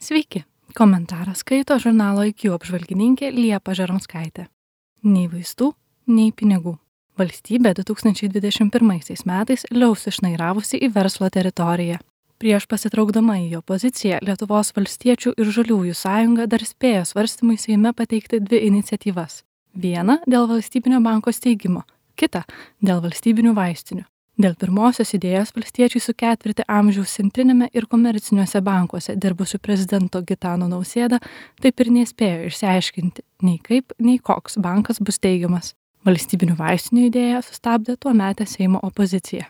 Sveiki, komentarą skaito žurnalo IQ apžvalgininkė Liepa Žaromskaitė. Nei vaistų, nei pinigų. Valstybė 2021 metais liaus išnairavusi į verslo teritoriją. Prieš pasitraukdama į opoziciją, Lietuvos valstiečių ir žaliųjų sąjunga dar spėjo svarstymui Seime pateikti dvi iniciatyvas. Vieną dėl valstybinio banko steigimo, kitą dėl valstybinių vaistinių. Dėl pirmosios idėjos valstiečiai su ketvirtį amžiaus centrinėme ir komerciniuose bankuose dirbusiu prezidento Gitano Nausėda taip ir nespėjo išsiaiškinti nei kaip, nei koks bankas bus steigiamas. Valstybinių vaistinių idėją sustabdė tuometė Seimo opozicija.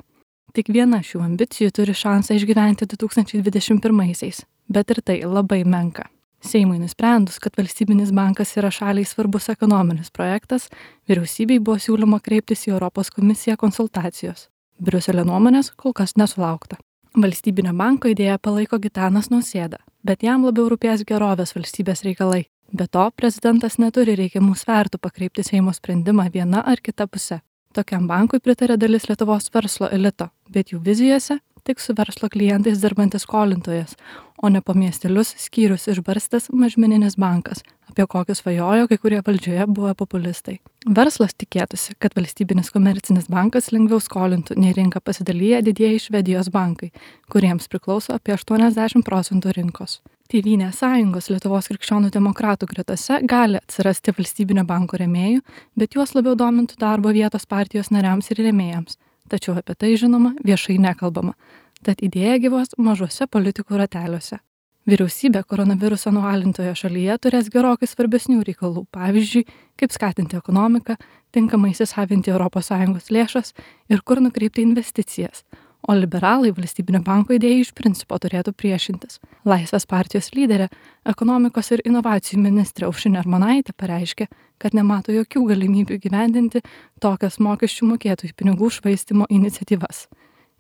Tik viena šių ambicijų turi šansą išgyventi 2021-aisiais, bet ir tai labai menka. Seimui nusprendus, kad valstybinis bankas yra šaliai svarbus ekonominis projektas, vyriausybei buvo siūloma kreiptis į Europos komisiją konsultacijos. Briuselio nuomonės kol kas nesulaukta. Valstybinio banko idėją palaiko Gitanas Nausėda, bet jam labiau rūpės gerovės valstybės reikalai. Be to, prezidentas neturi reikiamų svertų pakreipti Seimo sprendimą viena ar kita puse. Tokiam bankui pritarė dalis Lietuvos verslo elito, bet jų vizijose tik su verslo klientais dirbantis skolintojas, o ne po miestelius skyrius išbarstas mažmeninis bankas, apie kokį svajojo kai kurie valdžioje buvę populistai. Verslas tikėtųsi, kad valstybinis komercinis bankas lengviau skolintų, nei rinką pasidalyja didieji Švedijos bankai, kuriems priklauso apie 80% rinkos. Tėvynės sąjungos Lietuvos krikščionių demokratų gretose gali atsirasti valstybinio banko rėmėjų, bet juos labiau domintų darbo vietos partijos nariams ir rėmėjams. Tačiau apie tai, žinoma, viešai nekalbama. Tad idėja gyvos mažuose politikų rateliuose. Vyriausybė koronaviruso nualintoje šalyje turės gerokai svarbesnių reikalų, pavyzdžiui, kaip skatinti ekonomiką, tinkamai įsisavinti ES lėšas ir kur nukreipti investicijas. O liberalai valstybinio banko idėjai iš principo turėtų priešintis. Laisvės partijos lyderė, ekonomikos ir inovacijų ministrė Aušrinė Armonaitė pareiškė, kad nemato jokių galimybių gyvendinti tokias mokesčių mokėtojų pinigų švaistymo iniciatyvas.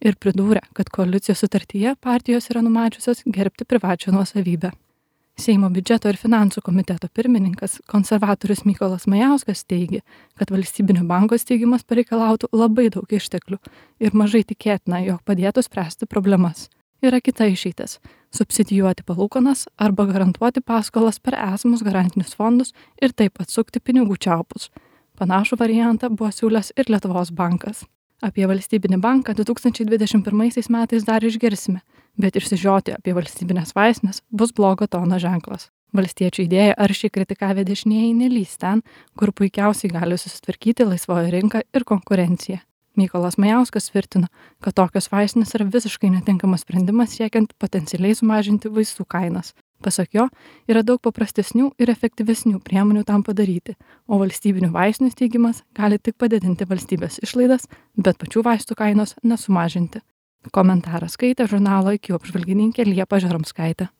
Ir pridūrė, kad koalicijos sutartyje partijos yra numačiusios gerbti privačią nuosavybę. Seimo biudžeto ir finansų komiteto pirmininkas, konservatorius Mykolas Majauskas teigė, kad valstybinio banko steigimas pareikalautų labai daug išteklių ir mažai tikėtina, jog padėtų spręsti problemas. Yra kita išeitis – subsidijuoti palūkanas arba garantuoti paskolas per esamus garantinius fondus ir taip atsukti pinigų čiaupus. Panašų variantą buvo siūlęs ir Lietuvos bankas. Apie valstybinį banką 2021 metais dar išgirsime, bet išsižioti apie valstybinės vaistinės bus blogo tono ženklas. Valstiečių idėją aršiai kritikavę dešinieji nelys ten, kur puikiausiai gali susitvarkyti laisvoji rinka ir konkurencija. Mykolas Majauskas tvirtino, kad tokios vaistinės yra visiškai netinkamas sprendimas siekiant potencialiai sumažinti vaistų kainas. Pasak jo, yra daug paprastesnių ir efektyvesnių priemonių tam padaryti, o valstybinių vaistinių steigimas gali tik padidinti valstybės išlaidas, bet pačių vaistų kainos nesumažinti. Komentarą skaitė žurnalo IQ apžvalgininkė Liepa Žaromskaitė.